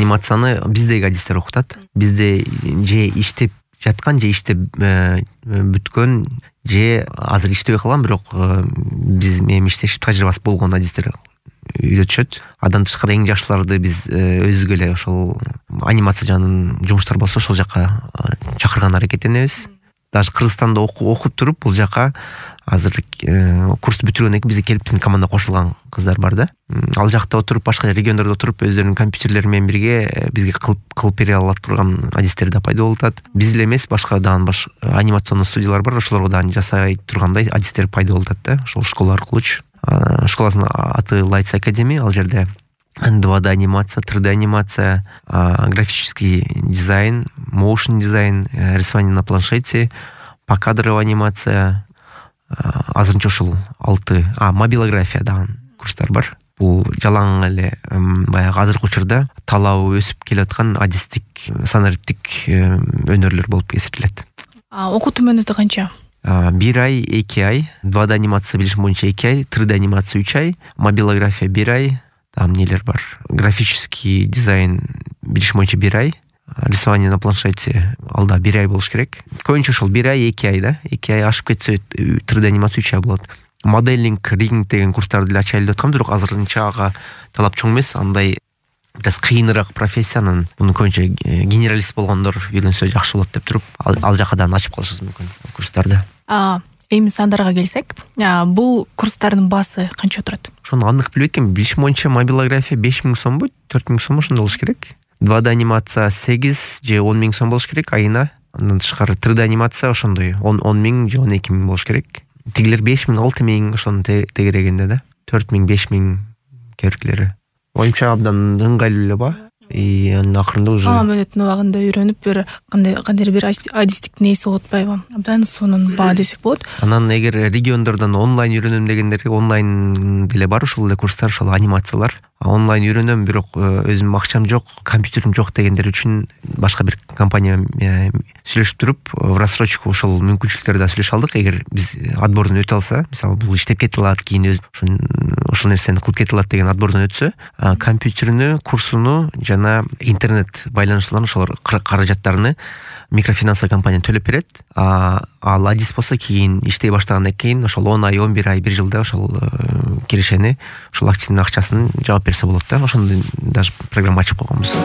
Анимацияны биздеги адистер окутат. Бизде же иштеп жаткан, же иштеп бүткөн, же азыр иштебей калган, бирок биз менен иштешип тажрыйбасы болгон адистер үйрөтүшөт. Андан тышкары эң жакшыларды биз өзүбүз эле ошол анимация жагынан жумуштар болсо ошол жака чакырган аракеттенебиз. Даже Кыргызстанда окуп туруп бул жака азыр курсту бүтүргөндөн кийин бизге келип биздин командага кошулган кыздар бар да. Ал жакта отуруп, башка региондордо отуруп өздөрүнүн компьютерлери менен бирге бизге кылып бере алат турган адистер да пайда болуп атат. Биз эле эмес, башка дагы анимационный студиялар бар, ошолорго дагы жасай тургандай адистер пайда болуп атат да. Ошол школа аркылуучу. Школасынын аты Lights Academy. Ал жерде 2D анимация, 3D анимация, графический дизайн, motion дизайн, рисование на планшете, покадровая анимация, азырынча ушул 6 мобилография дагы курстар бар. Бул жалаң эле баягы азыркы учурда талабы өсүп келаткан адистик, санариптик өнөрлөр болуп эсептелет. Окутуу мөөнөтү канча? 1 ай, 2 ай, 2D анимация билишим боюнча 2 ай, 3D анимация 3 ай, мобилография 1 ай, там нелер бар. Графический дизайн билишим боюнча 1 ай, рисование на планшете алда 1 ай болуш керек. Көбүнчө ошол 1 ай, 2 ай да. 2 ай ашып кетсе 3D анимация 3 ай болот. Моделинг, ригинг деген курстарды деле ачайлы деп аткам, бирок азырынча ага талап чоң эмес. Андай бираз кыйыныраак профессиянын, муну көбүнчө генералист болгондор үйрөнсө жакшы болот деп туруп, ал жака да ачып калышыбыз мүмкүн курстарды. Эми сандарга келсек, бул курстардын баасы канча турат? Ошону анык билбейт экенмин. Билишим боюнча мобилография 5000 сомбу, 4000 сом ошондой болуш керек. 2D анимация 8 же 10 000 сом болуш керек айына. Андан тышкары 3D анимация ошондой 10 000 же 12 000 болуш керек. Тигилер 5 000, 6 000 ошону тегерегенде да. 4 000, 5 000 кебиркилери. Оюмча абдан ыңгайлуу эле ба. Акырында уже мөөнөттүн убагында үйрөнүп бир кандайдыр бир адистиктин ээси болуп атпайбы? Абдан сонун баа десек болот. Анан эгер региондордон онлайн үйрөнөм дегендерге онлайн деле бар ошол эле курстар, ошол анимациялар. Онлайн үйрөнөм, бирок өзүм акчам жок, компьютерим жок дегендер үчүн башка бир компания сүйлөшүп туруп, в рассрочку ошол мүмкүнчүлүктөрдү да сүйлөшүп алдык. Эгер биз отбордон өтө алса, мисалы бул иштеп кете алат, кийин ошол нерсени кылып кете алат деген отбордон өтсө, компьютерүнү, курсуну жана интернет байланышларын, ошолор каражаттарыны микрофинансовый компания төлөп берет. Ал адис болсо кийин иштей баштагандан кийин ошол 10 ай, 11 ай, 1 жылда ошол кирешени, ошол активдин акчасын жаап берсе болот да. Ошондой даже программа ачып койгонбуз.